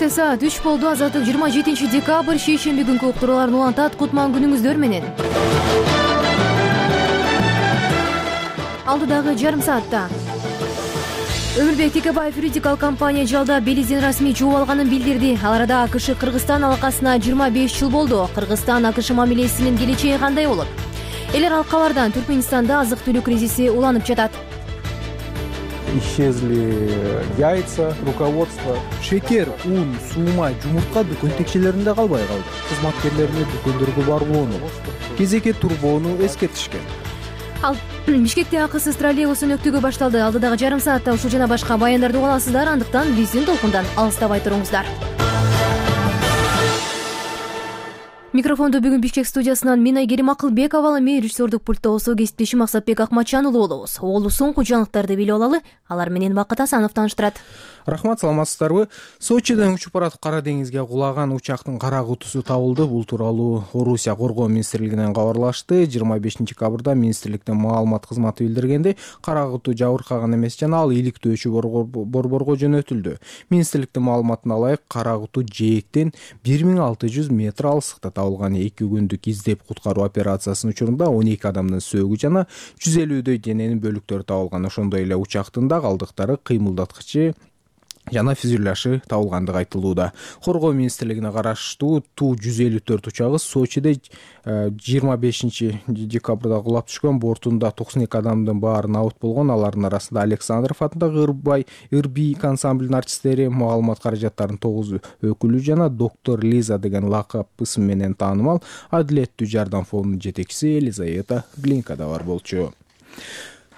Кечте саат 3 болду. Азаттык 27 декабрь шейшемби күнкү уктурууларын улантат. Кутман күнүңүздөр менен. Алдыдагы жарым саатта Өмүрбек Текебаев юридикалык компания жалда Белизден расмий жооп алганын билдирди. Ал арада АКШ Кыргызстан алакасына 25 жыл болду. Кыргызстан АКШ мамилесинин келечеги кандай болот? Элер алкалардан Түркменистанда азык-түлүк кризиси уланып жатат. Исчезли яйца, руководство. Шекер, ун, суума, жумуртка дүкөн текчелеринде калбай калды. Кызматкерлерине дүкөндөргө барбоону, кезекке турбоону эскертишкен. Ал Бишкекте акысыз троллейбустун өктүгү башталды. Алдыдагы жарым саатта ушул жана башка баяндарды уга аласыздар. Андыктан биздин толкундан алыстабай туруңуздар. Микрофонду бүгүн Бишкек студиясынан мен Айгерим Акылбекова, мен режиссердук пультта болсо кесиптешим Максатбек Акматжан уулу болобуз. Оолу соңку жаңылыктарды билип алалы. Алар менен Бакыт Асанов тааныштырат. Рахмат, саламатсыздарбы? Сочиден учуп баратып Кара деңизге кулаган учактын кара кутусу табылды. Бул тууралуу Орусия Коргоо министрлигинен кабарлашты. 25 декабрда министрликтин маалымат кызматы билдиргенде, кара куту жабыркаган эмес жана ал иликтөөчү борборго жөнөтүлдү. Министрликтин маалыматына ылайык, кара куту жээктен 1600 метр алыстыкта табылган. 2 күндүк издеп куткаруу операциясынын учурунда 12 адамдын сөөгү жана 150дөй дененин бөлүктөрү табылган. Ошондой эле учактын да калдыктары, кыймылдаткычы жана фюзеляжы табылгандыгы айтылууда. Коргоо министрлигине караштуу Ту-154 учагы Сочиде 25 декабрда кулап түшкөн. Бортунда 92 адамдын баары набыт болгон. Алардын арасында Александров атындагы Ырбийк ансамблинин артисттери, маалымат каражаттарынын 9 өкүлү жана доктор Лиза деген лакап ысым менен таанымал Адилеттүү жардам фондунун жетекчиси Елизавета Глинка да бар болчу.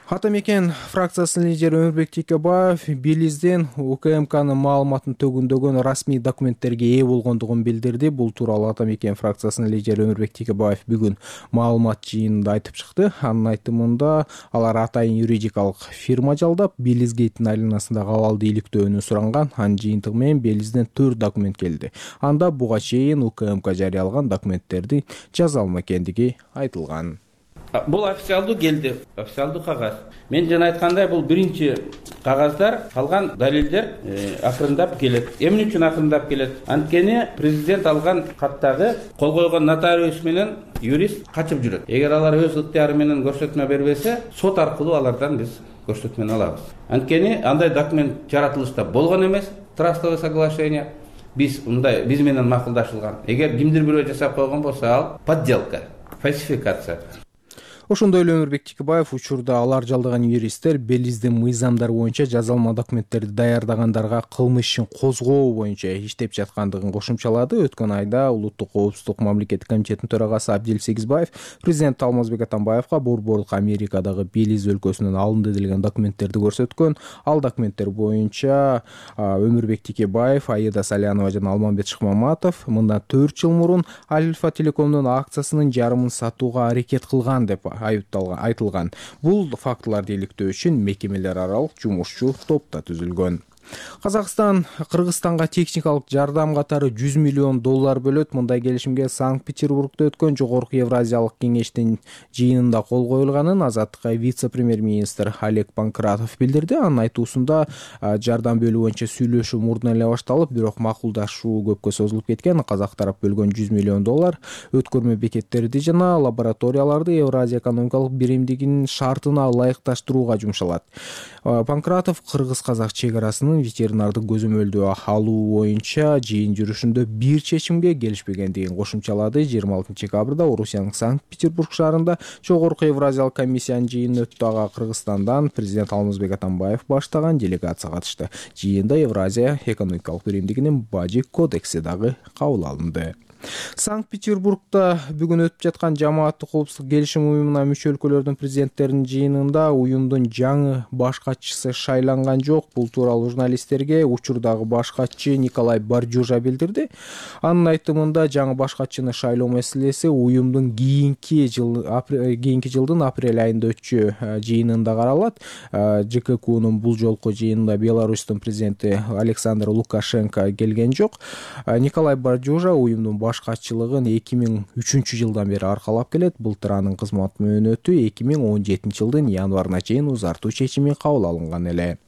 Ата мекен фракциясынын лидери Өмүрбек Текебаев Белизден УКМКнын маалыматын төгүндөгөн расмий документтерге ээ болгондугун билдирди. Бул тууралуу Ата мекен фракциясынын лидери Өмүрбек Текебаев бүгүн маалымат жыйынында айтып чыкты. Анын айтымында алар атайын юридикалык фирма жалдап, Белизгейттин айланасындагы абалды иликтөөнү суранган. Анын жыйынтыгы менен Белизден 4 документ келди. Анда буга чейин УКМК жарыялаган документтерди жаза алма экендиги айтылган. Бул официалдуу келди, официалдуу кагаз. Мен жана айткандай, бул биринчи кагаздар, калган далилдер акырындап келет. Эмне үчүн акырындап келет? Анткени президент алган каттагы кол койгон нотариус менен юрист качып жүрөт. Эгер алар өз ыктыяры менен көрсөтмө бербесе, сот аркылуу алардан биз көрсөтмөнү алабыз. Анткени андай документ жаратылышта болгон эмес, трастовое соглашение. Биз менен макулдашылган. Эгер кимдир бирөө жасап койгон болсо, ал подделка, фальсификация. Ошондой эле Өмүрбек Текебаев учурда алар жалдаган юристтер Белиздин мыйзамдары боюнча жазалма документтерди даярдагандарга кылмыш ишин козгоо боюнча иштеп жаткандыгын кошумчалады. Өткөн айда Улуттук коопсуздук мамлекеттик комитетинин төрагасы Абдил Сегизбаев президент Алмазбек Атамбаевга борборлук Америкадагы Белиз өлкөсүнөн алынды делген документтерди көрсөткөн. Ал документтер боюнча Өмүрбек Текебаев, Аида Салянова жана Алмамбет Шыкмаматов мындан 4 жыл мурун Альфа Телекомдун акциясынын жарымын сатууга аракет кылган деп айтылган. Бул фактыларды иликтөө үчүн мекемелер аралык жумушчу топ да түзүлгөн. Казакстан Кыргызстанга техникалык жардам катары $100 миллион бөлөт. Мындай келишимге Санкт-Петербургда өткөн Жогорку Евразиялык кеңештин жыйынында кол коюлганын Азаттыкка вице-премьер-министр Олег Панкратов билдирди. Анын айтуусунда жардам бөлүү боюнча сүйлөшүү мурдун эле башталып, бирок макулдашуу көпкө созулуп кеткен. Казак тарап бөлгөн $100 миллион өткөрмө бекеттерди жана лабораторияларды Евразия экономикалык биримдигинин шартына ылайыкташтырууга жумшалат. Панкратов кыргыз-казак чегарасынын ветеринардык көзөмөлдөө алуу боюнча жыйын жүрүшүндө бир чечимге келишпегендигин кошумчалады. 26 декабрда Орусиянын Санкт-Петербург шаарында Жогорку Евразиялык комиссиянын жыйыны өттү. Ага Кыргызстандан президент Алмазбек Атамбаев баштаган делегация катышты. Жыйында Евразия экономикалык биримдигинин бажы кодекси дагы кабыл алынды. Санкт-Петербургда бүгүн өтүп жаткан Жамааттык коопсуздук келишим уюмуна мүчө өлкөлөрдүн президенттеринин жыйынында уюмдун жаңы баш катчысы шайланган жок. Бул тууралуу журналисттерге учурдагы баш катчы Николай Барджужа билдирди. Анын айтымында жаңы баш катчыны шайлоо маселеси уюмдун кийинки жылдын апрель айында өтчү жыйынында каралат. ЖККнун бул жолку жыйынында Беларустун президенти Александр Лукашенко келген жок. Николай Барджужа уюмдун баш катчылыгын 2003 жылдан бери аркалап келет. Былтыр анын кызмат мөөнөтү 2017 жылдын январына чейин узартуу чечими кабыл алынган эле.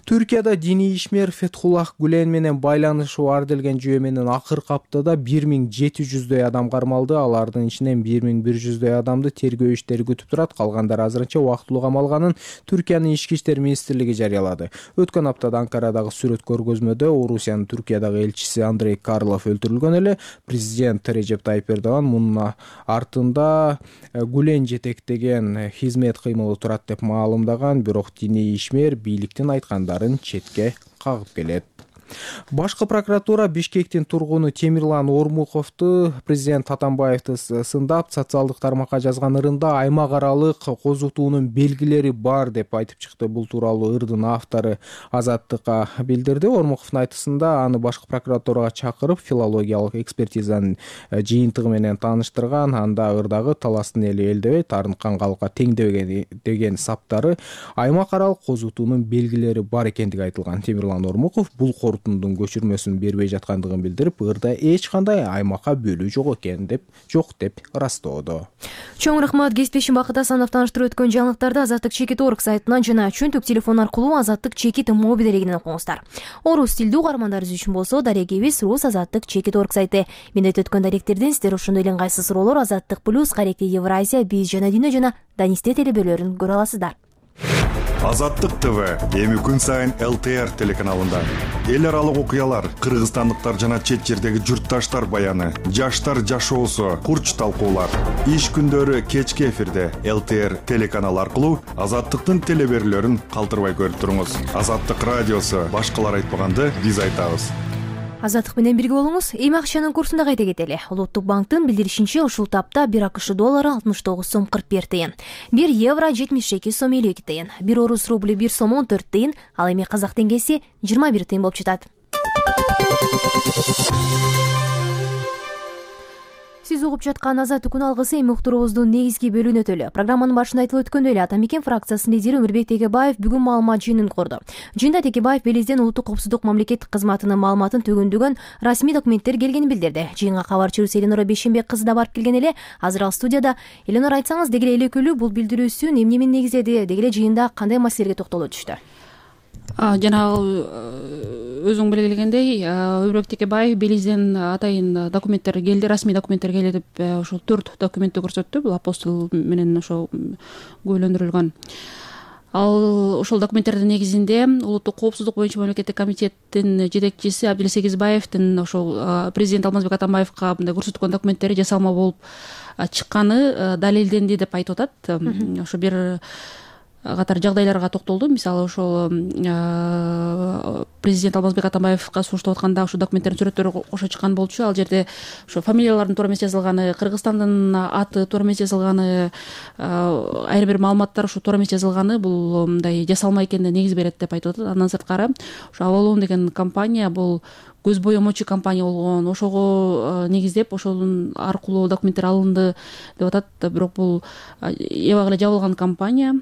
Түркияда диний ишмер Фетхуллах Гүлен менен байланышы бар делген жүйө менен акыркы аптада 1700дөй адам кармалды. Алардын ичинен 1100дөй адамды тергөө иштери күтүп турат. Калгандар азырынча убактылуу камалганын Түркиянын ички иштер министрлиги жарыялады. Өткөн аптада Анкарадагы сүрөт көргөзмөдө Орусиянын Түркиядагы элчиси Андрей Карлов өлтүрүлгөн эле. Президент Режеп Тайип Эрдоган мунун артында Гүлен жетектеген хизмет кыймылы турат деп маалымдаган, бирок диний ишмер бийликтин айткандарын четке кагып келет. Башкы прокуратура Бишкектин тургуну Темирлан Ормуховду президент Атамбаевди сындап, социалдык тармакка жазган ырында аймак аралык козутуунун белгилери бар деп айтып чыкты. Бул тууралуу ырдын автору Азаттыкка билдирди. Ормуховдун айтысында аны башкы прокуратурага чакырып, филологиялык экспертизанын жыйынтыгы менен тааныштырган. Анда ырдагы таластын эли элдебей, тарынткан калкка теңдебеген деген саптары аймак аралык козутуунун белгилери бар экендиги айтылган. Темирлан Ормухов бул корутундун көчүрмөсүн бербей жаткандыгын билдирип, ырда эч кандай аймакка бөлүү жок деп ырастоодо. Чоң рахмат. Кесиптешим Бакыт Асанов тааныштырып өткөн жаңылыктарды Азаттык чекит орг сайтынан жана чөнтүк телефон аркылуу Азаттык чекит моби дарегинен окуңуздар. Орус тилдүү угармандарыбыз үчүн болсо, дарегибиз Рус Азаттык чекит орг сайты. Мен айтып өткөн даректерден сиздер ошондой эле ыңгайсыз суроолор Азаттык плюс, Каректи Евразия, Биз жана Дүйнө жана Данисте телебөлөрүн көрө аласыздар. Азаттык ТВ эми күн сайын ЛТР телеканалында эл аралык окуялар, кыргызстандыктар жана чет жердеги журтташтар баяны, жаштар жашоосу, курч талкуулар. Иш күндөрү кечки эфирде ЛТР телеканалы аркылуу Азаттыктын телеберүүлөрүн калтырбай көрүп туруңуз. Азаттык радиосу, башкалар айтпаганды биз айтабыз. Азаттык менен бирге болуңуз. Эми акчанын курсунда кайта кетели. Улуттук банктын билдиришинче, ушул тапта 1 АКШ доллары 69 сом 41 тыйын, 1 евро 72 сом 52 тыйын, 1 орус рубли 1 сом 14 тыйын, ал эми казак теңгеси 21 тыйын болуп жатат. Сиз угуп жаткан Азаттык күн алгысы эми уктуруубуздун негизги бөлүгүнө өтөлү. Программанын башында айтылып өткөндөй эле Атамекен фракциясынын лидери Өмүрбек Текебаев бүгүн маалымат жыйынын корду. Жыйында Текебаев Белизден улуттук коопсуздук мамлекеттик кызматынын маалыматын төгүндүгөн расмий документтер келгенин билдирди. Жыйынга кабарчыбыз Эленора Бейшембек кызы да барып келген эле. Азыр ал студияда. Эленора, айтсаңыз, деги эле экөлүү бул билдирүүсүн эмне менен негиздеди, деги эле жыйында кандай маселелерге токтолуп өтүштү? Жанагы өзүң белгилегендей, Өмүрбек Текебаев Белизден атайын документтер келди, расмий документтер келди деп ошол 4 документти көрсөттү. Бул апостол менен ошо күбөлөндүрүлгөн. Ал ошол документтердин негизинде улуттук коопсуздук боюнча мамлекеттик комитеттин жетекчиси Абдил Сегизбаевдин ошол президент Алмазбек Атамбаевка мындай көрсөткөн документтери жасалма болуп чыкканы далилденди деп айтып атат. Ошо бир катар жагдайларга токтолду. Мисалы, ошол президент Алмазбек Атамбаевка сунуштап атканда ошо документтердин сүрөттөрү кошо чыккан болчу. Ал жерде ошо фамилиялардын туура эмес жазылганы, Кыргызстандын аты туура эмес жазылганы, айрым бир маалыматтар ошо туура эмес жазылганы бул мындай жасалма экенине негиз берет деп айтып атат. Андан сырткары ошо Авалон деген компания бул көз боемочу компания болгон. Ошого негиздеп ошонун аркылуу документтер алынды деп атат. Бирок бул эбак эле жабылган компания.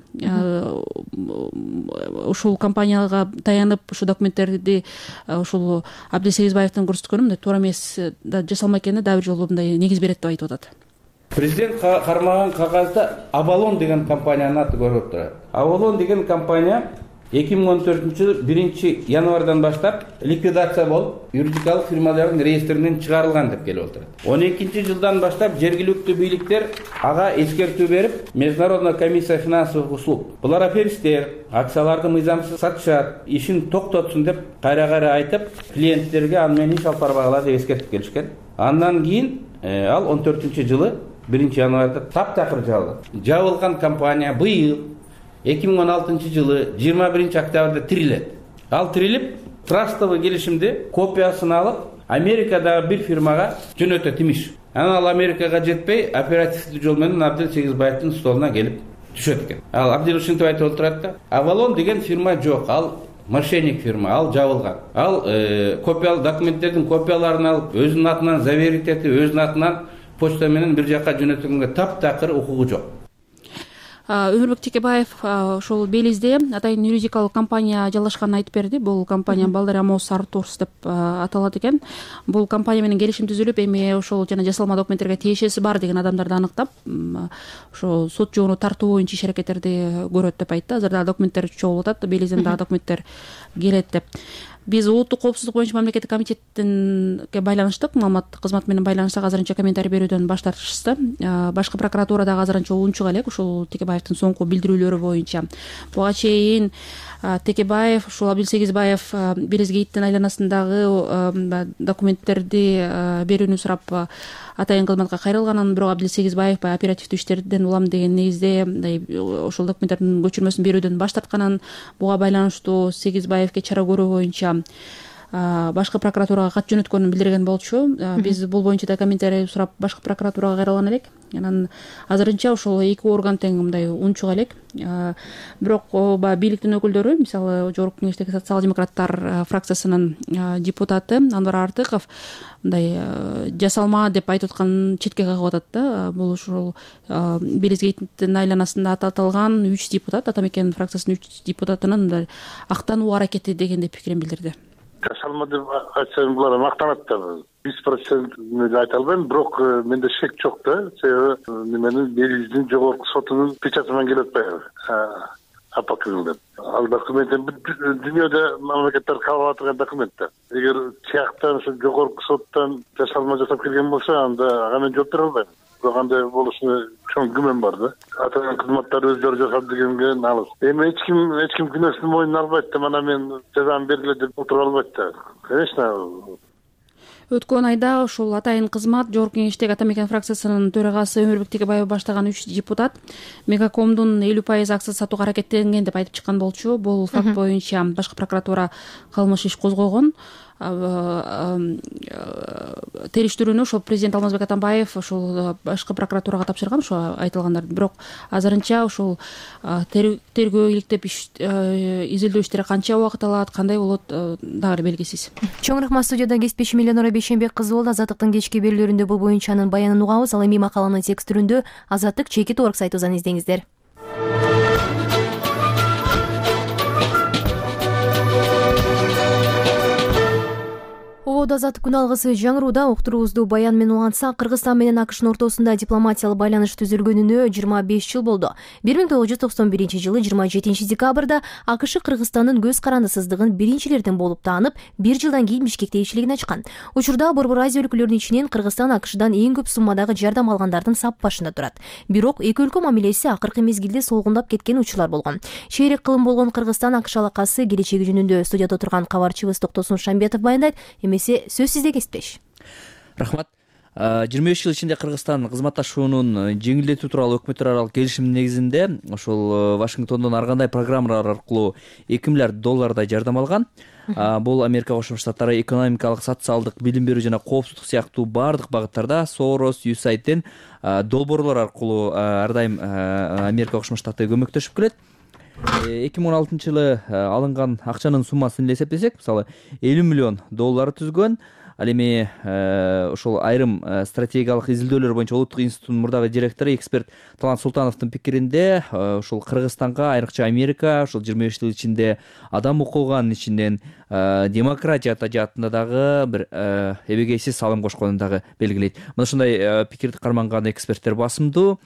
Ушул компанияга таянып ушул документтерди ушул Абдил Сегизбаевдин көрсөткөнү мындай туура эмес жасалма экенине дагы бир жолу мындай негиз берет деп айтып атат. Президент кармаган кагазда Авалон деген компаниянын аты көрүнүп турат. Авалон деген компания 2014 1 январдан баштап ликвидация болуп, юридикалык фирмалардын реестринен чыгарылган деп келип отурат. 12 жылдан баштап жергиликтүү бийликтер ага эскертүү берип, Международная комиссия финансовых услуг булар аферисттер, акцияларды мыйзамсыз сатышат, ишин токтотсун деп кайра айтып, клиенттерге аны менен иш алып барбагыла деп эскертип келишкен. Андан кийин ал 14-жылы 1 январда таптакыр жабылды. Жабылган компания быйыл 2016 жылы 21 октябрда тирилет. Ал тирилип, трастовый келишимди копиясын алып, Америкадагы бир фирмага жөнөтөт имиш. Анан ал Америкага жетпей, оперативдүү жол менен Абдил Сегизбаевдин столуна келип түшөт экен. Ал Абдил ушинтип айтып отурат да, Авалон деген фирма жок, ал мошенник фирма, ал жабылган. Ал копиялы документтердин копияларын алып, өзүнүн атынан заверить этип, өзүнүн атынан почта менен бир жакка жөнөтүнгөнгө таптакыр укугу жок. Өмүрбек Текебаев ошол Белизде атайын юридикалык компания жалгашканын айтып берди. Бул компания Балдария Мос Артурс деп аталат экен. Бул компания менен келишим түзүлүп, эми ошол жана жасалма документтерге тиешеси бар деген адамдарды аныктап, ошо сот жолуна тартуу боюнча иш аракеттерди көрөт деп айтты. Азыр дагы документтер чогулуп атат, Белизден дагы документтер келет деп. Биз улуттук коопсуздук боюнча мамлекеттик комитетке байланыштык, маалымат кызматы менен байланыштык, азырынча комментарий берүүдөн баш тартышты. Башкы прокуратура дагы азырынча унчук элек ушул Текебаевдин соңку билдирүүлөрү боюнча. Буга чейин Текебаев, ушул Абдил Сегизбаев Белизгейттин айланасындагы документтерди берүүнү сурап атайын кызматка кайрылганын, бирок Абдил Сегизбаев оперативдүү иштерден улам деген негизде ошол документтердин көчүрмөсүн берүүдөн баш тартканын, буга байланыштуу Сегизбаевке чара көрүү боюнча башкы прокуратурага кат жөнөткөнүн билдирген болчу. Биз бул боюнча да комментарий сурап башкы прокуратурага кайрылган элек. Анан азырынча ошол эки орган тең мындай унчук элек. Бирок бийликтин өкүлдөрү, мисалы Жогорку Кеңештеги социал-демократтар фракциясынын депутаты Анвар Артыков мындай жасалма деп айтып атканын четке кагып атат да. Бул ушул Белизгейттин айланасында аталган 3 депутат, Атамекен фракциясынын 3 депутатынын мындай актануу аракети дегенде пикирин билдирди. Жасалма деп айтсам булар мактанат да. 100% айта албайм, бирок менде шек жок да. Себеби неменин Белиздин жогорку сотунун печаты менен келип атпайбы? Апакыңдап. Ал документ дүйнөдө мамлекеттер кабыл атырган документ да. Эгер тияктан ошо жогорку соттон жасалма жасап келген болсо, анда ага мен жооп бере албайм. Бирок андай болушуна чоң күмөн бар да. Атайын кызматтар өздөрү жасап дегенге алыс. Эми эч ким күнөөсүн мойнуна албайт да. Мана мен жазам бергиле деп отура албайт да. Конечно. Өткөн айда ушул атайын кызмат Жогорку Кеңештеги Атамекен фракциясынын төрагасы Өмүрбек Текебаев баштаган 3 депутат Мегакомдун 50% акчасын сатууга аракеттенген деп айтып чыккан болчу. Бул факт боюнча башкы прокуратура кылмыш иш козгогон. Териштирүүнү ошол президент Алмазбек Атамбаев ошол башкы прокуратурага тапшырган, ошо айтылгандарды. Бирок азырынча ошол тергөө иликтеп изилдөө иштери канча убакыт алат, кандай болот, дагы белгисиз. Чоң рахмат. Студияда кесипчи Миллионора Бейшенбек кызы болду. Азаттыктын кечки берүүлөрүндө бул боюнча анын баянын угабыз. Ал эми макаланын текст түрүндө Азаттык чеки Торг сайтыбыздан издеңиздер. Азаттык күн алгысы жаңырууда. Уктуруубузду баян менен улантсак, Кыргызстан менен АКШнын ортосунда дипломатиялык байланыш түзүлгөнүнө 25 жыл болду. 1991 жылы 27 декабрда АКШ Кыргызстандын көз карандысыздыгын биринчилерден болуп таанып, 1 жылдан кийин Бишкекте элчилигин ачкан. Учурда Борбор Азия өлкөлөрүнүн ичинен Кыргызстан АКШдан эң көп суммадагы жардам алгандардын сап башында турат. Бирок эки өлкө мамилеси акыркы мезгилде солгундап кеткен учурлар болгон. Шейрек кылым болгон Кыргызстан АКШ алакасы келечеги жөнүндө студияда отурган кабарчыбыз Токтосун Шамбетов баяндайт. Эмесе сөз сизде кесиптеш. Рахмат. 25 жыл ичинде Кыргызстан кызматташуунун жеңилдетүү тууралуу өкмөттөр аралык келишимдин негизинде ошол Вашингтондон ар кандай программалар аркылуу $2 миллиард жардам алган. Бул Америка Кошмо Штаттары экономикалык, социалдык, билим берүү жана коопсуздук сыяктуу бардык багыттарда Сорос, USAIDтен долбоорлор аркылуу ар дайым Америка Кошмо Штаты көмөктөшүп келет. 2016 жылы алынган акчанын суммасын эсептесек, мисалы $50 миллион түзгөн. Ал эми ошол айрым стратегиялык изилдөөлөр боюнча Улуттук институттун мурдагы директору эксперт Талант Султановдун пикиринде, ошол Кыргызстанга айрыкча Америка ошол 25 жыл ичинде адам укугунун ичинен демократия жаатында дагы бир эбегейсиз салым кошконун дагы белгилейт. Мына ушундай пикирди карманган эксперттер басымдуу.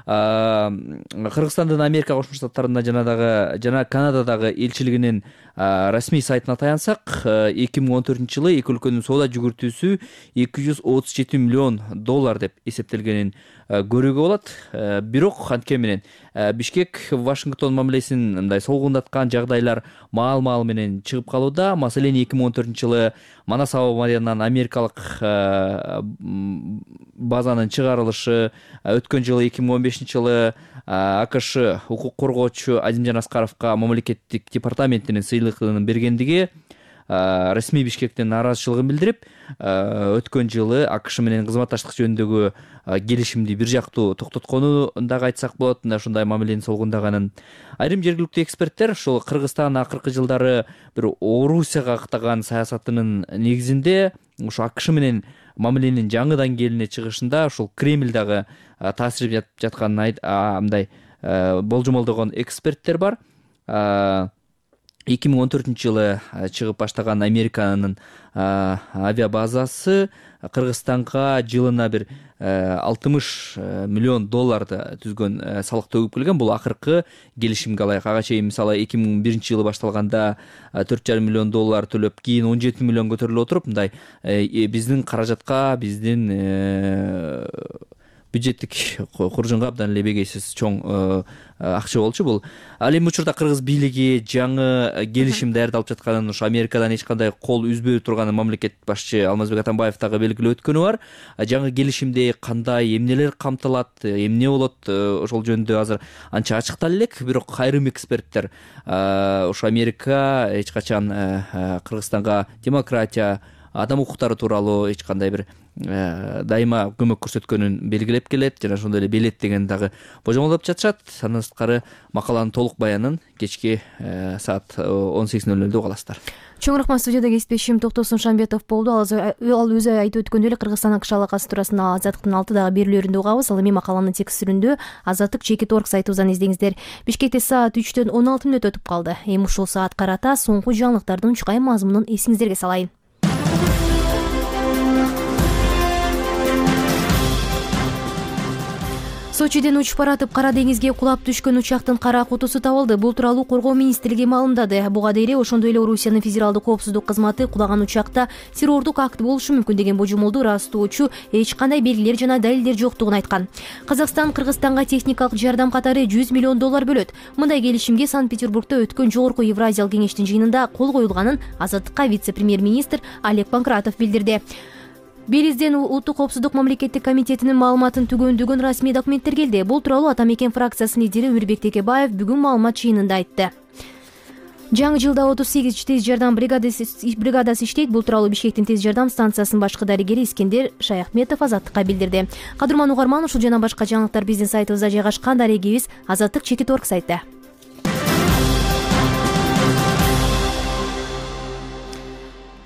Кыргызстандын Америка Кошмо Штаттарында жана Канададагы элчилигинин расмий сайтына таянсак, 2014 жылы эки өлкөнүн соода жүгүртүүсү $237 миллион деп эсептелгенин көрүүгө болот. Бирок антке менен Бишкек Вашингтон мамилесин мындай солгундаткан жагдайлар маал менен чыгып калууда. Маселен 2014 жылы Манас аба маянынан америкалык базанын чыгарылышы, өткөн жылы 2015 жылы АКШ укук коргоочу Азимжан Аскаровго мамлекеттик департаментинин сыйлыгын бергендиги расмий Бишкектин нааразычылыгын билдирип, өткөн жылы АКШ менен кызматташтык жөнүндөгү келишимди бир жактуу токтотконун дагы айтсак болот. Ушундай мамиленин солгундаганын. Айрым жергиликтүү эксперттер ошол Кыргызстан акыркы жылдары бир Орусияга актаган саясатынын негизинде ошо АКШ менен мамиленин жаңы деңгээлине чыгышында ошол Кремль дагы таасир жасап жатканын мындай болжомолдогон эксперттер бар. 2014-жылы чыгып баштаган Американын авиабазасы Кыргызстанга жылына бир 60 миллион долларды түзгөн салык төгүп келген. Бул акыркы келишимге ылайык. Ага чейин мисалы 2001-жылы башталганда 4,5 миллион доллар төлөп, кийин 17 миллион көтөрүлүп отуруп, мындай биздин каражатка, биздин бюджеттик куржунга абдан эле бегейсиз чоң акча болчу бул. Ал эми учурда кыргыз бийлиги жаңы келишим даярдалып жатканын, ушу Америкадан эч кандай кол үзбөй турганын мамлекет башчы Алмазбек Атамбаев дагы белгилеп өткөнү бар. Жаңы келишимде кандай эмнелер камтылат, эмне болот, ошол жөнүндө азыр анча ачыктала элек. Бирок айрым эксперттер ушу Америка эч качан Кыргызстанга демократия, адам укуктары тууралуу эч кандай бир дайыма көмөк көрсөткөнүн белгилеп келет жана ошондой эле белет деген дагы божомолдоп жатышат. Андан сырткары макаланын толук баянын кечки саат 18:00 угаласыздар. Чоң рахмат. Студияда кесиптешим Токтосун Шамбетов болду. Ал өзү айтып өткөндөй эле Кыргызстан АКШ алакасы туурасында Азаттыктын 6 берүүлөрүндө угабыз. Ал эми макаланын текстүрүндө Азаттык Чекит.org сайтыбыздан издеңиздер. Бишкекте саат 3:10 өтүп калды. Эми ушул саат карата соңку жаңылыктардын чукай мазмунун эсиңиздерге салайын. Сочиден учуп баратып Кара деңизге кулап түшкөн учактын кара кутусу табылды. Бул тууралуу Коргоо министрлиги маалымдады. Буга дейин ошондой эле Орусиянын федералдык коопсуздук кызматы кулаган учакта террордук акт болушу мүмкүн деген божомолду ырастоочу эч кандай белгилер жана далилдер жоктугун айткан. Казакстан Кыргызстанга техникалык жардам катары 100 миллион доллар бөлөт. Мындай келишимге Санкт-Петербургда өткөн Жогорку Евразиялык кеңештин жыйынында кол коюлганын Азаттыкка вице-премьер-министр Олег Панкратов билдирди. Белизден Улуттук коопсуздук мамлекеттик комитетинин маалыматын түгөндөгөн расмий документтер келди. Бул тууралуу Ата Мекен фракциясынын лидери Өмүрбек Текебаев бүгүн маалымат жыйынында айтты. Жаңы жылда 38 тез жардам бригадасы иштейт. Бул тууралуу Бишкектин тез жардам станциясынын башкы дарыгери Искендер Шаяхметов Азаттыкка билдирди. Кадырман угарман, ушул жана башка жаңылыктар биздин сайтыбызда жайгашкан. Дарегибиз Азаттык Чекит.org сайтта.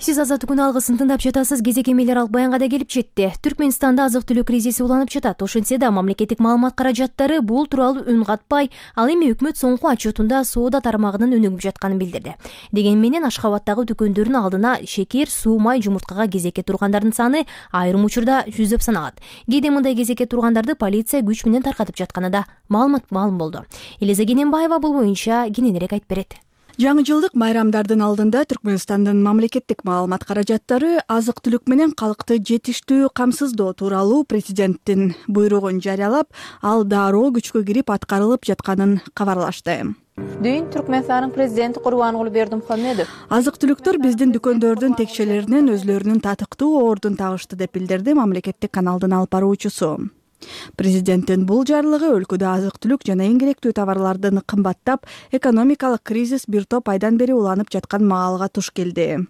Сиз Азаттыктын алгысын тыңдап жатасыз. Кезек эмелер алып баянга да келип жетти. Түркмөнстанда азык-түлүк кризиси уланып жатат. Ошентсе да мамлекеттик маалымат каражаттары бул тууралуу үн катпай, ал эми өкмөт соңку отчетунда соода тармагынын өнүгүп жатканын билдирди. Деген менен Ашхабадтагы дүкөндөрдүн алдына шекер, суу, май, жумурткага кезекке тургандардын саны айрым учурда жүздөп саналат. Кээде мындай кезекке тургандарды полиция күч менен таркатып жатканы да маалым болду. Элиза Кененбаева бул боюнча кененирээк айтып берет. Жаңы жылдык майрамдардын алдында Түркмөнстандын мамлекеттик маалымат каражаттары азык-түлүк менен калкты жетиштүү камсыздоо тууралуу президенттин буйругун жарыялап, ал дароо күчкө кирип аткарылып жатканын кабарлашты. Дүйүн Түркмөнстандын президенти Курбангулы Бердимухамедов азык-түлүктөр биздин дүкөндөрдүн текшелеринен өзлөрүнүн татыктуу ордун табышты деп билдирди мамлекеттик каналдын алып баруучусу. Президенттин бул жарлыгы өлкөдө азык-түлүк жана эң керектүү товарлардын кымбаттап, экономикалык кризис бир топ айдан бери уланып жаткан маалга туш келди.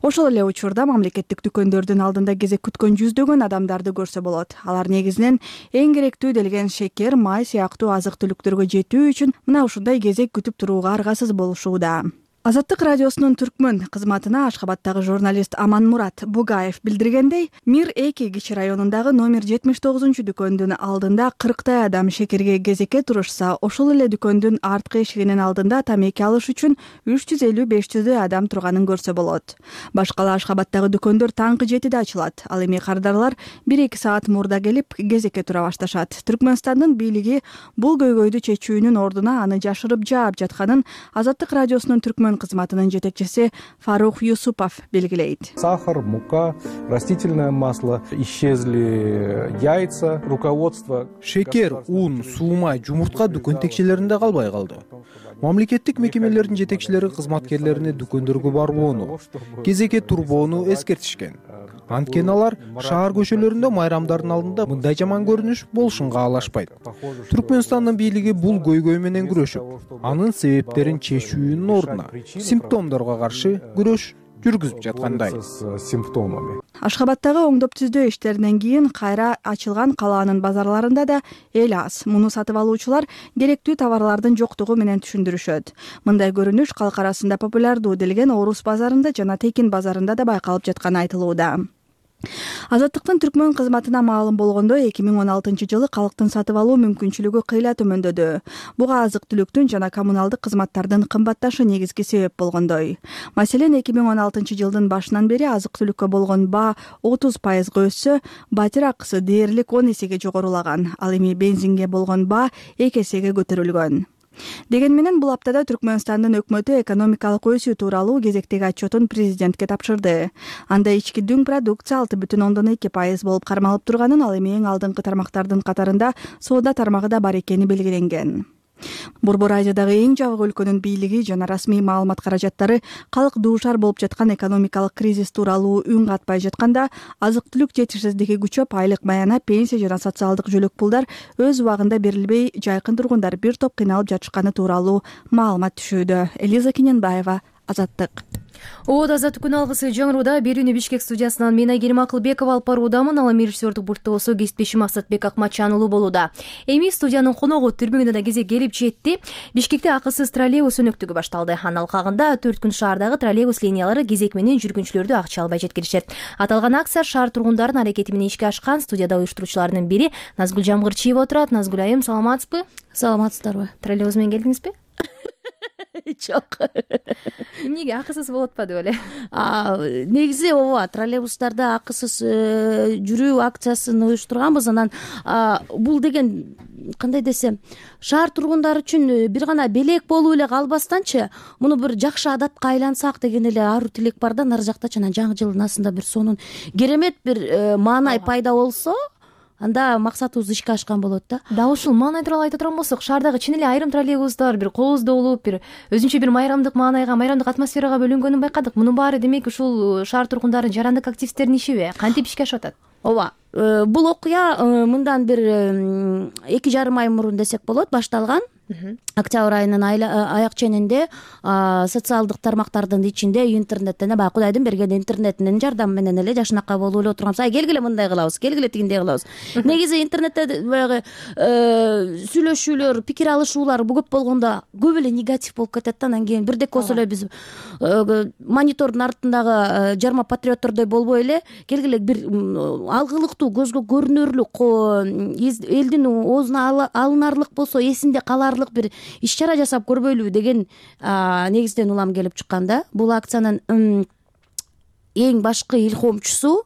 Ошол эле учурда мамлекеттик дүкөндөрдүн алдында кезек күткөн жүздөгөн адамдарды көрсө болот. Алар негизинен эң керектүү делген шекер, май сыяктуу азык-түлүктөргө жетүү үчүн мына ушундай кезек күтүп турууга аргасыз болушууда. Азаттык радиосунун түркмөн кызматына Ашхабадтагы журналист Аманмурат Бугаев билдиргендей, Мир-2 кичи районундагы номер 79 дүкөндүн алдында 40 адам шекерге кезекке турушса, ошол эле дүкөндүн арткы эшигинин алдында тамеки алыш үчүн 350-500 адам турганын көрсө болот. Башкала Ашхабадтагы дүкөндөр таңкы 7-де ачылат. Ал эми кардарлар 1-2 саат мурда келип кезекке тура башташат. Түркмөнстандын бийлиги бул көйгөйдү чечүүнүн ордуна аны жашырып жаап жатканын Азаттык радиосунун түркмөн кызматынын жетекчиси Фарух Юсупов белгилейт. Сахар, мука, растительное масло, исчезли яйца, руководство. Шекер, ун, суу, май, жумуртка дүкөн текчелеринде калбай калды. Мамлекеттик мекемелердин жетекчилери кызматкерлерине дүкөндөргө барбоону, кезекке турбоону эскертишкен. Анткени алар шаар көчөлөрүндө майрамдардын алдында мындай жаман көрүнүш болушун каалашпайт. Түркмөнстандын бийлиги бул көйгөй менен күрөшүп, анын себептерин чечүүнүн ордуна симптомдорго каршы күрөш жүргүзүп жаткандай. Ашхабадтагы оңдоп түздөө иштеринен кийин кайра ачылган калаанын базарларында да эл аз. Муну сатып алуучулар керектүү товарлардын жоктугу менен түшүндүрүшөт. Мындай көрүнүш калк арасында популярдуу делген Орус базарында жана Текин базарында да байкалып жатканы айтылууда. Азаттыктын түркмөн кызматына маалым болгондо 2016-жылы калктын сатып алуу мүмкүнчүлүгү кыйла төмөндөдү. Буга азык-түлүктүн жана коммуналдык кызматтардын кымбатташы негизги себеп болгондой. Маселен, 2016-жылдын башынан бери азык-түлүккө болгон баа 30% өссө, батир акысы дээрлик 10 эсеге жогорулаган. Ал эми бензинге болгон баа 2 эсеге көтөрүлгөн. Деген менен бул аптада Түркмөнстандын өкмөтү экономикалык өсүү тууралуу кезектеги отчетун президентке тапшырды. Анда ички дүң продукция 6,2% болуп кармалып турганын, ал эми эң алдыңкы тармактардын катарында соода тармагы да бар экени белгиленген. Борбор Азиядагы эң жабык өлкөнүн бийлиги жана расмий маалымат каражаттары калк дуушар болуп жаткан экономикалык кризис тууралуу үн катпай жатканда, азык-түлүк жетишсиздиги күчөп, айлык маяна, пенсия жана социалдык жөлөк пулдар өз убагында берилбей, жайкын тургундар бир топ кыйналып жатышканы тууралуу маалымат түшүүдө. Элиза Кененбаева, Азаттык. Азаттык күн алгысы жаңырууда берүүнү Бишкек студиясынан мен Айгерим Акылбекова алып баруудамын. Ал эми режиссердик пультта болсо кесиптешим Асатбек Акматжан уулу болууда. Эми студиянын коногу түрмөгүнө да кезек келип жетти. Бишкекте акысыз троллейбус өнөктүгү башталды. Анын алкагында 4 күн шаардагы троллейбус линиялары кезек менен жүргүнчүлөрдү акча албай жеткиришет. Аталган акция шаар тургундарынын аракети менен ишке ашкан. Студияда уюштуруучулардын бири Назгүл Жамгырчиева отурат. Назгүл айым, саламатсызбы? Саламатсыздарбы? Троллейбус менен келдиңизби? Жок. Эмнеге акысыз болуп атпады беле? Негизи ооба, троллейбустарда акысыз жүрүү акциясын уюштурганбыз. Анан бул деген кандай десем, шаар тургундары үчүн бир гана белек болуп эле калбастанчы, муну бир жакшы адатка айлансак деген эле ару тилек бар да. Нары жакта жана жаңы жылдын астында бир сонун керемет бир маанай пайда болсо, анда максатыбыз ишке ашкан болот да. Да ушул маанай тууралуу айта турган болсок, шаардагы чын эле айрым троллейбустар бир кооздолуп, бир өзүнчө бир майрамдык маанайга, майрамдык атмосферага бөлүнгөнүн байкадык. Мунун баары демек ушул шаар тургундарынын жарандык активисттердин ишиби? Кантип ишке ашып атат? Ооба. Бул окуя мындан бир 2,5 ай мурун десек болот башталган. Октябрь айынын аяк ченинде социалдык тармактардын ичинде интернеттен баягы Кудайдын берген интернетинин жардамы менен эле жашынакай болуп эле отурганбыз. Келгиле мындай кылабыз, келгиле тигиндей кылабыз. Негизи интернетте баягы сүйлөшүүлөр, пикир алышуулар көп болгондо көп эле негатив болуп кетет да. Анан кийин бирдек болсо эле биз монитордун артындагы жарма патриоттордой болбой эле келгиле бир алгылыктуу, көзгө көрүнөрлүк, элдин оозуна алынарлык болсо эсинде каларлык бир иш-чара жасап көрбөйлүбү деген негизден улам келип чыккан да. Бул акциянын эң башкы илхомчусу,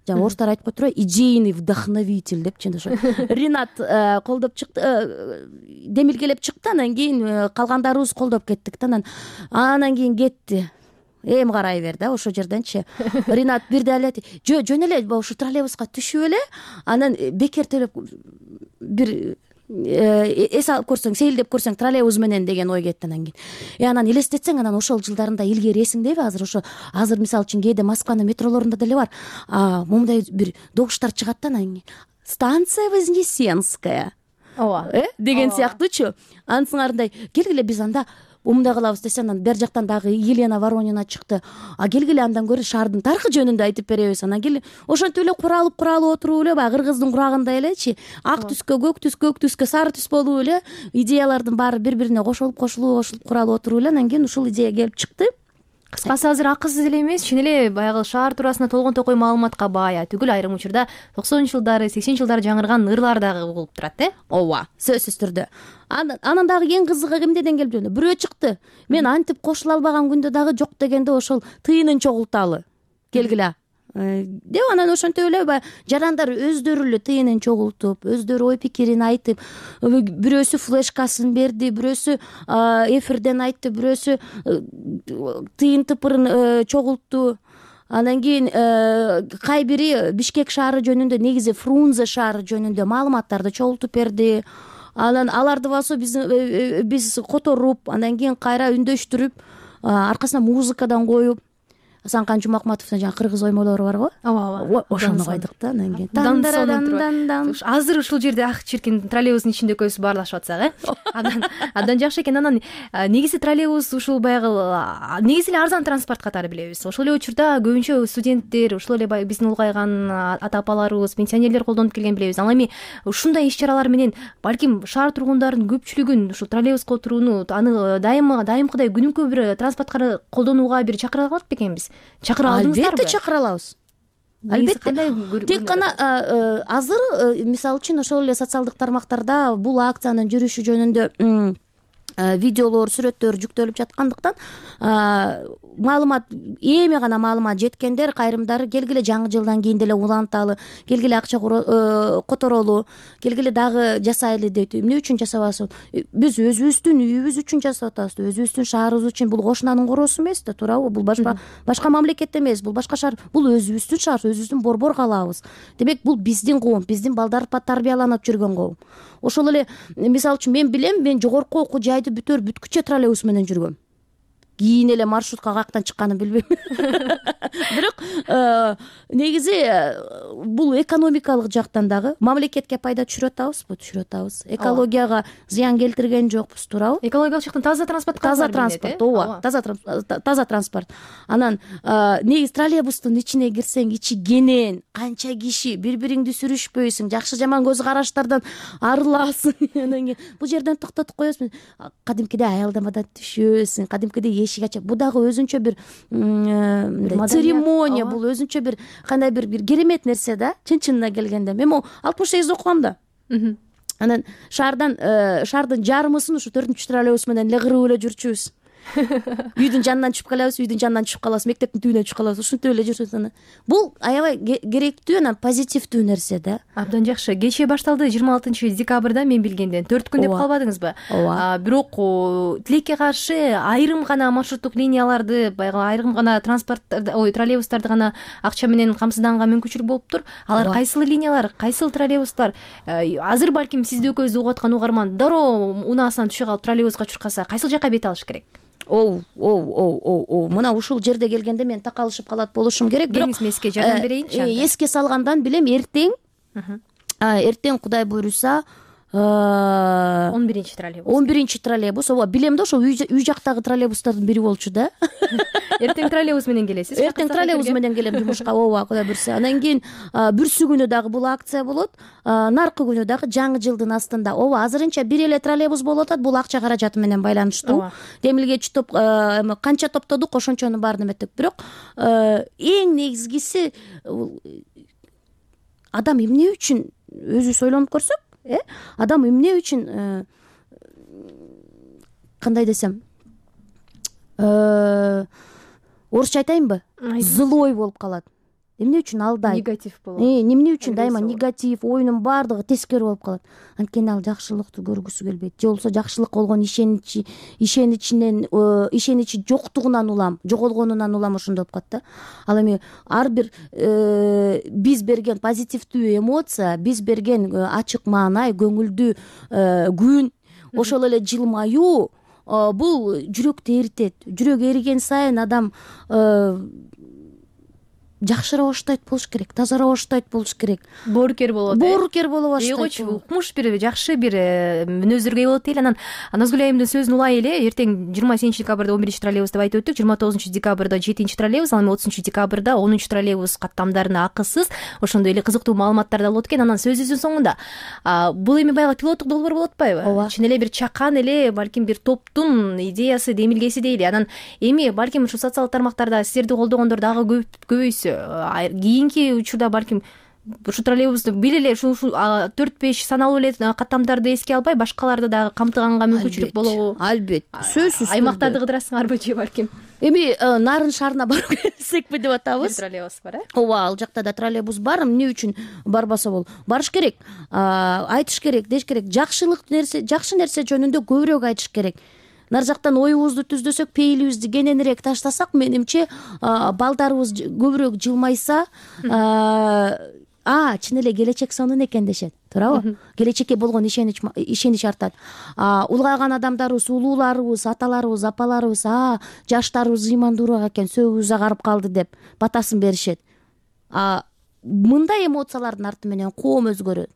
жана орустар айтып коет турбайбы, идейный вдохновитель депчи, ошо Ринат колдоп чыкты, демилгелеп чыкты, анан кийин калгандарыбыз колдоп кеттик да. Анан кийин кетти. Эми карай бер да, ошол жерденчи. Ринат бирде эле жөн эле ушу троллейбуска түшүп эле, анан бекер төлөп бир эс алып көрсөң, сейилдеп көрсөң троллейбус менен деген ой кетти. Анан кийин анан элестетсең, анан ошол жылдарында илгери эсиңдеби? Азыр мисалы үчүн кээде Москванын метролорунда деле бар. Момундай бир добуштар чыгат да, анан станция Вознесенская деген сыяктуучу. Анын сыңарындай келгиле биз анда мындай кылабыз десе, анан бер жактан дагы Елена Воронина чыкты. Келгиле андан көрө шаардын тарыхы жөнүндө айтып беребиз. Анан келе ошентип эле куралып отуруп эле баягы кыргыздын курагында элечи, ак түскө, көк түскө, сары түс болуп эле идеялардын баары бири-бирине кошулуп куралып отуруп эле анан кийин ушул идея келип чыкты. Кыскасы азыр акысыз эле эмес, чын эле баягы шаар туурасында толгон токой маалыматка бая түгүл, айрым учурда 90-жылдары, 80-жылдары жаңырган ырлар дагы угулуп турат, Ооба, сөзсүз түрдө. Анан дагы эң кызыгы эмнеден келип жатат? Бирөө чыкты. Мен антип кошула албаган күндө дагы жок дегенде ошол тыйынын чогулталы. Келгиле деп анан ошентип эле жарандар өздөрү эле тыйынын чогултуп, өздөрү ой пикирин айтып, бирөөсү флешкасын берди, бирөөсү эфирден айтты, бирөөсү тыйын тыпырын чогултту. Анан кийин кай бири Бишкек шаары жөнүндө, негизи Фрунзе шаары жөнүндө маалыматтарды чогултуп берди. Анан аларды болсо биз которуп, анан кийин кайра үндөштүрүп, аркасына музыкадан коюп, Асанкан Жумакматовдун жана кыргыз оймолору барго. Ооба. Ошону койдук да. Анан кийин азыр ушул жерде ак чиркин троллейбустун ичинде экөөбүз баарлашып атсак, Андан жакшы экен. Анан негизи троллейбус ушул баягы негизи эле арзан транспорт катары билебиз. Ошол эле учурда көбүнчө студенттер, ушул эле биздин улгайган ата апаларыбыз, пенсионерлер колдонуп келген билебиз. Ал эми ушундай иш-чаралар менен балким шаар тургундарынын көпчүлүгүн ушул троллейбуска отурууну, аны дайымкыдай күнүмкү бир транспортка колдонууга бир чакыра алат бекенбиз. Чакыра алдыңыздарбы? Албетте чакыра алабыз. албетте тек гана азыр мисалы үчүн ошол эле социалдык тармактарда бул акциянын жүрүшү жөнүндө видеолор, сүрөттөр жүктөлүп жаткандыктан маалымат эми гана маалымат жеткендер кайрымдары келгиле жаңы жылдан кийин деле уланталы, келгиле акча которолу, келгиле дагы жасайлы дейт. Эмне үчүн жасабасыз? Биз өзүбүздүн үйүбүз үчүн жасап атабыз, өзүбүздүн шаарыбыз үчүн. Бул кошунанын короосу эмес да, туурабы? Бул башка мамлекет эмес, бул башка шаар, бул өзүбүздүн шаар, өзүбүздүн борбор калаабыз. Демек бул биздин коом, биздин балдар тарбияланып жүргөн коом. Ошол эле мисалы үчүн мен билем, мен жогорку окуу жайды бүткүчө троллейбус менен жүргөм. Кийин эле маршрутка каяктан чыкканын билбейм. Бирок негизи бул экономикалык жактан дагы мамлекетке пайда түшүрүп атабызбы? Түшүрүп атабыз. Экологияга зыян келтирген жокпуз, туурабы? Экологиялык жактан таза транспорт. Таза транспорт, ооба, таза транспорт. Анан негизи троллейбустун ичине кирсең, ичи кенен, канча киши, бири-бириңди сүрүшпөйсүң, жакшы жаман көз караштардан арыласың. Анан кийин бул жерден токтотуп коесуң. Кадимкидей аялдамадан түшөсүң, кадимкидей эшик ачып. Бул дагы өзүнчө бир церемония, бул өзүнчө бир кандай бир керемет нерсе да, чын-чынына келгенде. Мен 68 окугам да. Анан шаардын жарымысын ушу 4-чү троллейбус менен эле кырып эле жүрчүбүз. Үйдүн жанынан түшүп калабыз, үйдүн жанынан түшүп калабыз, мектептин түбүнөн түшүп калабыз. Ушинтип эле жүрсөң. Бул аябай керектүү, анан позитивдүү нерсе да. Абдан жакшы. Кечээ башталды 26 декабрда, мен билгенден 4 күн деп калбадыңызбы? Бирок тилекке каршы айрым гана маршруттук линияларды, баягы айрым гана троллейбустарды гана акча менен камсызданганга мүмкүнчүлүк болуптур. Алар кайсыл линиялар, кайсыл троллейбустар? Азыр балким сизди экөөбүздү угуп аткан угарман дароо унаасынан түшө калып троллейбуска чуркаса, кайсыл жакка бет алыш керек? Мына ушул жерде келгенде мен такалышып калат болушум керек. Бирок эске жардам берейинчи. Эске салгандан билем, эртең Кудай буйруса 11 троллейбус. Ооба, билем да, ошо үй жактагы троллейбустардын бири болчу да. Эртең троллейбус менен келесиз? Эртең троллейбус менен келем жумушка. Ооба, Кудай буйруса. Анан кийин бүрсү күнү дагы бул акция болот. Наркы күнү дагы жаңы жылдын астында. Ооба, азырынча бир эле троллейбус болуп атат. Бул акча каражаты менен байланыштуу. Демилгечи топ канча топтодук, ошончонун баарын эметтик. Бирок эң негизгиси адам эмне үчүн өзүбүз ойлонуп көрсөк, адам эмне үчүн кандай десем, орусча айтайынбы, злой болуп калат. Эмне үчүн алдайт? Негатив болот. Эмне үчүн дайыма негатив, оюнун баардыгы тескери болуп калат? Анткени ал жакшылыкты көргүсү келбейт. Же болбосо жакшылык болгон ишеничи жоктугунан улам, жоголгонунан улам ошондой болуп калат да. Ал эми ар бир биз берген позитивдүү эмоция, биз берген ачык маанай, көңүлдүү күн, ошол эле жылмаюу бул жүрөктү эритет. Жүрөк эриген сайын адам жакшыраак баштайт болуш керек, тазараак баштайт болуш керек. Боорукер болот. Боорукер боло баштайт. Койчу, укмуш бир жакшы бир мүнөздөргө ээ болот дейли. Анан Назгүл айымдын сөзүн улай эле, эртең 27 декабрда 11 троллейбус деп айтып өттүк, 29 декабрда 7 троллейбус, ал эми 30 декабрда 10 троллейбус каттамдарына акысыз. Ошондой эле кызыктуу маалыматтар да болот экен. Анан сөзүбүздүн соңунда бул эми баягы пилоттук долбоор болуп атпайбы? Чын эле бир чакан эле, балким бир топтун идеясы, демилгеси дейли. Анан эми балким ушу социалдык тармактарда сиздерди колдогондор дагы көбөйсө, кийинки учурда балким ушу троллейбусту бир эле ушу 4-5 саналуу эле каттамдарды эске албай, башкаларды дагы камтыганга мүмкүнчүлүк болобу? Албетте. Сөзсүз. Аймактарды кыдырасыңарбы же балким? Эми Нарын шаарына барып келсекпи деп атабыз. Троллейбус бар, Ооба, ал жакта да троллейбус бар. Эмне үчүн барбаса болот? Барыш керек, айтыш керек, деш керек. Жакшы нерсе жөнүндө көбүрөөк айтыш керек. Нар жактан оюбузду түздөсөк, пейилибизди кененирээк таштасак, менимче балдарыбыз көбүрөөк жылмайса, чын эле келечек сонун экен дешет, туурабы? Келечекке болгон ишенич артат. Улгайган адамдарыбыз, улууларыбыз, аталарыбыз, апаларыбыз, жаштарыбыз ыймандуураак экен, сөөгүбүз агарып калды деп батасын беришет. Мындай эмоциялардын арты менен коом өзгөрөт.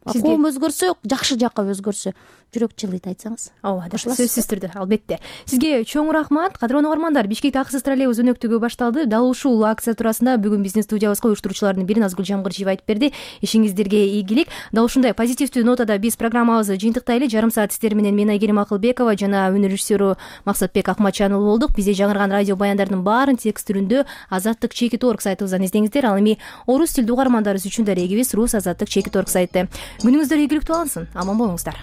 коом өзгөрсө, жакшы жакка өзгөрсө жүрөк жылыйт айтсаңыз. Ооба, сөзсүз түрдө, албетте. Сизге чоң рахмат. Кадырлуу угармандар, Бишкек акысыз троллейбус өнөктүгү башталды. Дал ушул акция туурасында бүгүн биздин студиябызга уюштуруучулардын бири Назгүл Жамгырчиева айтып берди. Ишиңиздерге ийгилик. Дал ушундай позитивдүү нотада биз программабызды жыйынтыктайлы. Жарым саат сиздер менен мен Айгерим Акылбекова жана өнөр режиссеру Максатбек Акматжан уулу болдук. Бизде жаңырган радио баяндардын баарын текст түрүндө Азаттык /org сайтыбыздан издеңиздер. Ал эми орус тилдүү угармандарыбыз үчүн да регибиз Рус Азаттык /org сайты. Күнүңүздөр ийгиликтүү алынсын. Аман болуңуздар.